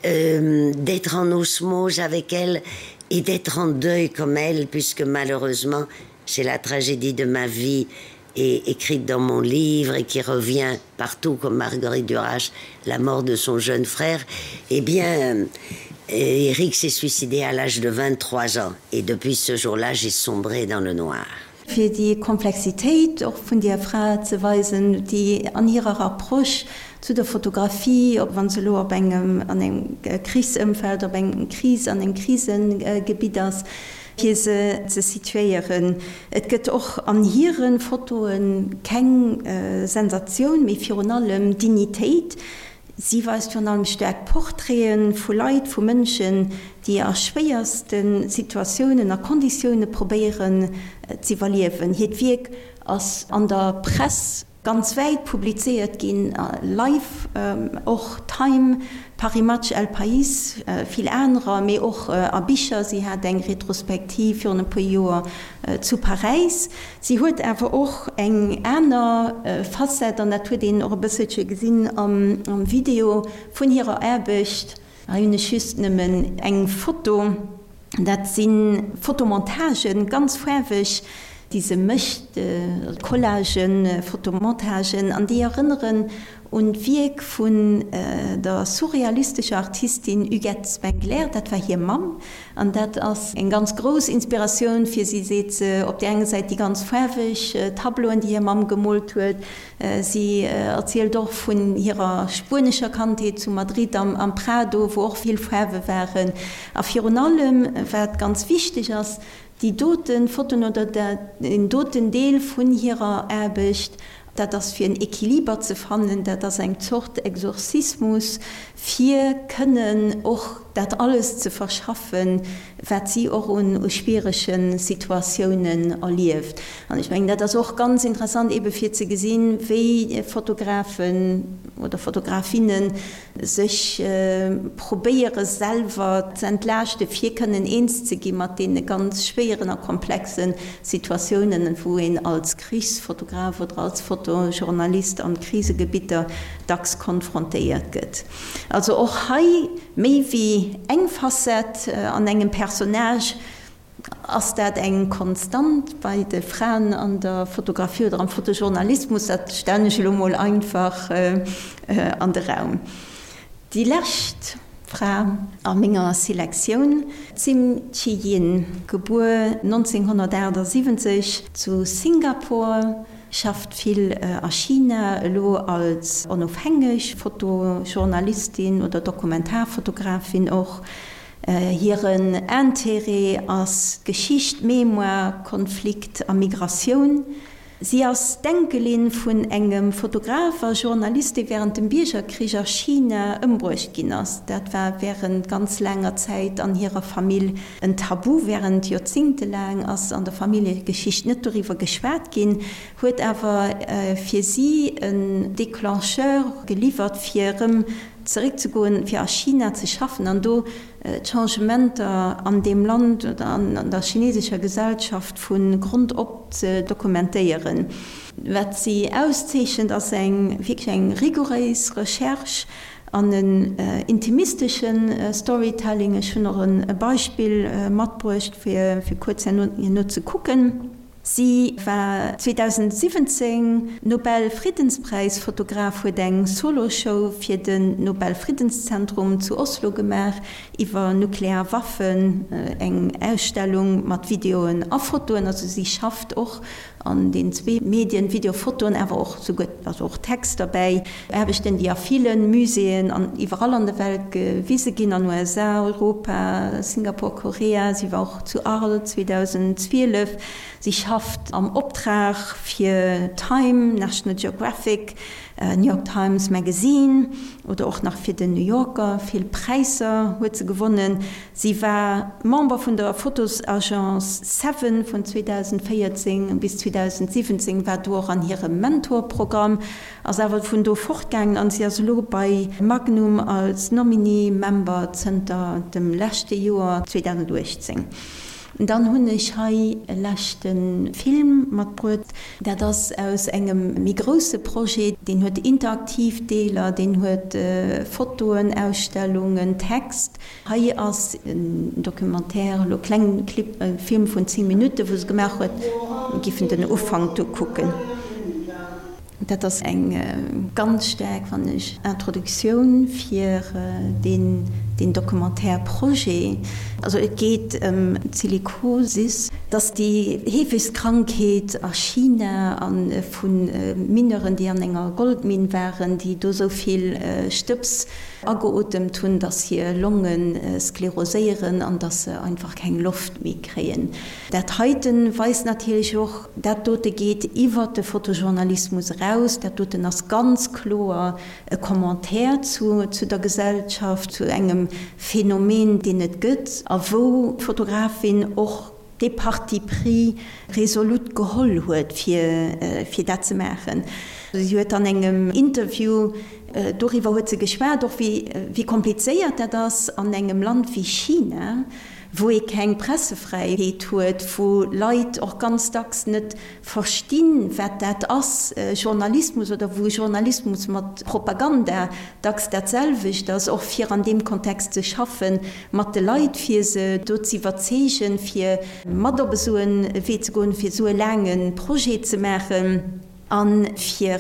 euh, d'être en osmose avec elle et d'être en deuil comme elle, puisque malheureusement, c'est la tragédie de ma vie et écrite dans mon livre et qui revient partout comme Marguerite Duras, la mort de son jeune frère, eh bien, euh, Eric s'est suicidé à l'âge de vingt-trois ans et depuis ce jour-là, j'ai sombré dans le noir. Fir déi Komplexitéit och vun där Fra ze weisen, déi an hirer Approche zu der Fotografie, ob wann se elo op engem, an engem Krichsëmfeld, op engem Kris, an engem Krisegebitt ass, fir se ze situéieren. Et gëtt och an hire Fotoe keng Sensatioun, mee virun allem Dignitéit. Si weist virun allem staark Portraite vu Leit, vu Mënschen, déi a schwéierste Situatiounen a Konditioune probéieren z'iwwerliewen. Hiert Wierk ass an der Press ganz wäit publizéiert ginn, Life, och Time, Paris Match, El País, vill anerer, mee och a Bicher. Si hat eng Retrospektiv virun e puer Joer zu Paräis. Si huet awer och eng aner Facette, an dat huet een och e bësselche gesinn am Video vun hirer Aarbecht. Hei hunn ech just nëmmen eng Foto. Dat si Fotomontagen, ganz faarweg, déi se mécht, Collagen, Fotomontagen, an déi erënneren un d'Wierk vun der surrealistescher Artistin Huguette Spengler, dat war hir Mamm, an dat ass eng ganz grouss Inspiratioun fir si, seet se. Op där enger Säit déi ganz faarweg Tableauen, déi hir Mamm gemoolt huet. Si erzielt och vun hirer spuenescher Kandheet zu Madrid am Prado, wou och vill Faarwe waren. A virun allem, wat ganz wichteg ass, Déi doten Fotoen oder deen doten Deel vun hirer Aarbecht, dat ass fir en Equiliber ze fannen, dat ass eng Zort Exorzismus, fir kënnen och dat alles ze verschaffen, wat si och un schwierege Situatiounen erlieft. An ech mengen, dat ass och ganz interessant ebe fir ze gesinn, wéi Fotografen oder Fotografinnen sech probéiere selwer ze entlaaschte fir kënnen eens ze gi mat deene ganz schwéieren a komplexe Situatiounen, wou een als Krichsfotograf oder als Fotojournalist an Krisegebitter dacks konfrontéiert gëtt. Also och hei méi wéi eng Facette an engem Personnage. Ass dat eng Konstant bei de Fraen an der Fotografie oder am Fotojournalismus? Dat stellen ech elo mol einfach an de Raum. Déi lescht Fra a menger Selektioun, d'Sim Chi-Yin, gebuer nonzénghonnertaachtsiwwenzeg zu Singapur, schafft vill a China, elo als onofhängeg Fotojournalistin oder Dokumentarfotografin och. Hiren Intérêt ass Geschicht, Mémoire, Konflikt a Migratioun. Si ass d'Enkelin vun engem Fotograf a Journalist, dee wärend dem Biergerkrich a China ëmbruecht ginn ass. Dat war wärend ganz laanger Zäit an hirer Famill en Tabu. Wärend joerzéngtelaang ass an der Familljegeschicht net doriwwer geschwat ginn, huet awer fir si en Declencheur geliwwert, fir erëm zeréckzegoen, fir a China ze schaffen an do d'Changementer an deem Land oder an der chinesescher Gesellschaft vu Grond op ze dokumentéieren. Wat si auszeechent, ass eng wierklech eng rigouréis Recherche an en intimistesche Storytelling. Ech hunn och e Beispill matbruecht, fir kuerz herno ze kucken. Si war zweedausendsiwwenzéng Nobel-Friddenspräis-Fotograf, huet eng Solo-Show fir den Nobel-Friddenszentrum zu Oslo gemaach iwwer nuklear Waffen, eng Ausstellung mat Videoen a Fotoen. Also si schafft och an den zwee Medien, Video, Fotoen, awer och souguer, also och Text derbäi. Aarbechten, déi a ville Muséeën an iwwerall an der Welt gewise ginn, an USA, Europa, Singapur, Korea. Si war och zu Arles zweedausendzwielef. Si schafft am Optrag fir Time, National Geographic, New York Times Magazine oder och nach fir den New Yorker. Vill Präisser huet se gewonnen. Si war Member vun der Fotosagence Seven vun zweedausendvéierzéng bis zweedausendsiwwenzéng, war do och an hirem Mentorprogramm, ass awer vun do fortgaangen an si ass elo bei Magnum als Nominee Member zënter dem leschte Joer zweedausenduechtzéng. Dann hunn ech hei e leschte Film matbruet. Dat ass aus engem méi grousse Projet. Deen huet interaktiv Deeler, deen huet Fotoen, Ausstellungen, Text. Hei ass en Documentaire, elo kleng Clip, e Film vun zéng Minutten, wou se gemaach huet. Mir giffen den Ufank do kucken. Dat ass eng ganz staark, fannen ech, Introduktioun fir deen Documentaire-Projet. Also et geet ëm d'Silikosis. Dat ass déi heefegst Krankheet a China a vu Mineuren, déi an enger Goldminn waren, déi do esou vill Stëbs ageotemt hunn, datt hir Longe skleroséieren an datt se einfach keng Loft méi kréien. Dat heiten weist natierlech och, dat dote geet iwwert de Fotojournalismus eraus, dat doten ass ganz kloer e Commentaire zu zu der Gesellschaft, zu engem Phänomen, deen et gëtt a wou d'Fotografin och dee Parti pris resolut geholl huet, fir fir dat ze maachen. Si huet an engem Interview, doriwwer huet se geschwat, och wéi wéi komplizéiert dat ass an engem Land wéi China, wou ee keng Pressefräiheet huet, wou Leit och ganz dacks net verstinn, wat dat ass, Journalismus, oder wou Journalismus mat Propaganda dacks dat selwecht ass, och fir an deem Kontext ze schaffen, mat de Leit, fir se do ze iwwerzeegen, fir mat op esou e Wee ze goen, fir esou e laange Projet ze maachen a fir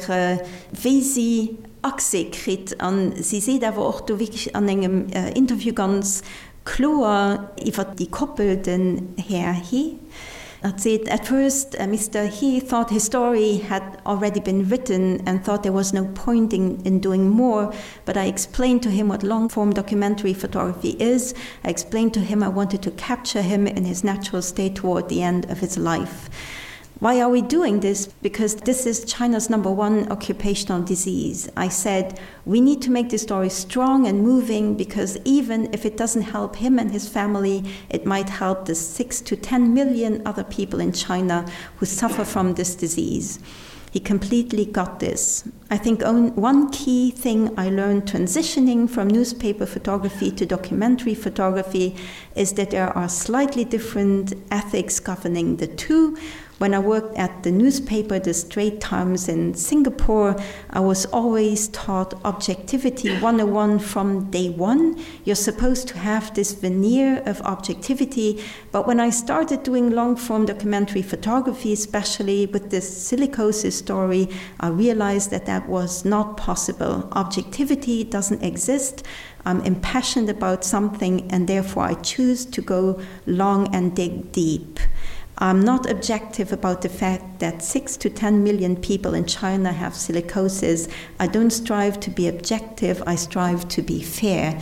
wéi si Accès kritt. A si seet awer och do wierklech an engem Interview ganz kloer iwwer déi Koppel, den Här He. Hatt seet, At first Mister He thought his story had already been written and thought there was no point in in doing more, but I explained to him what long-form documentary photography is. I explained to him I wanted to capture him in his natural state toward the end of his life. Why are we doing this? Because this is China's number one occupational disease. I said, we need to make this story strong and moving because even if it doesn't help him and his family, it might help the six to ten million other people in China who suffer from this disease. He completely got this. I think one key thing I learned transitioning from newspaper photography to documentary photography is that there are slightly different ethics governing the two. When I worked at the newspaper The Straits Times in Singapore, I was always taught objectivity one oh one from day one. You're supposed to have this veneer of objectivity, but when I started doing long-form documentary photography, especially with this silicosis story, I realized that that was not possible. Objectivity doesn't exist. I'm impassioned about something and therefore I choose to go long and dig deep. I'm not objective about the fact that six to ten million people in China have silicosis. I don't strive to be objective, I strive to be fair.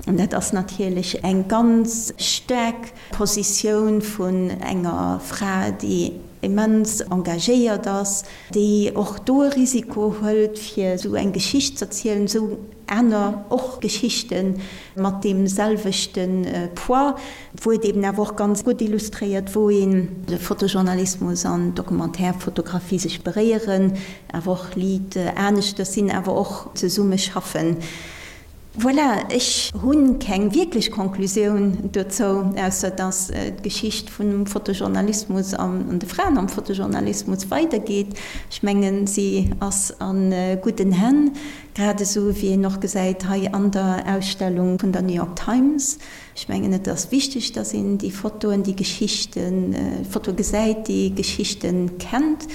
An dat ass natierlech eng ganz staark Positioun vun enger Fra, déi immens engagéiert ass, déi och do e Risiko hëlt, fir esou eng Geschicht ze erzielen, esou aner och Geschichte mat deem selwechte Poids, wou et eben awer och ganz gutt illustréiert, wou een de Fotojournalismus an d'Documentaire-Fotografie sech beréieren, awer och liit aneschters sinn, awer och zesumme schaffen. Voilà, ech hu keng wierklech Konklusioun dozou, ausser dass d'Geschicht vum Fotojournalismus an de Fraen am Fotojournalismus weidergeet. Ech mengen, si ass a gudden Hänn, grad esou wéi een och gesäit hei an der Ausstellung vun der New York Times. Ech mengen, et ass wichteg, dass een déi Fotoen, déi Geschichten, Fotoe gesäit, déi Geschichten kennt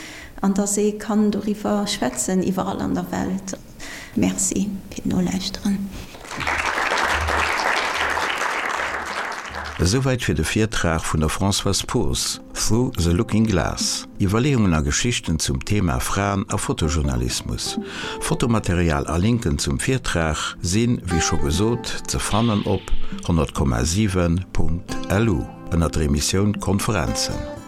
an dass ee kann doriwwer schwätzen, iwwerall an der Welt. Merci fir d'Nolauschteren. Esouwäit fir de Virtrag vun der Françoise Poos. Through the Looking Glass. Iwwerleeungen a Geschichten zum Thema Fraen a Fotojournalismus. Fotomaterial a Linken zum Virtrag sinn, wéi scho gesot, ze fannen op honnert Komma siwen Punkt lu ënner der Emissioun Konferenzen.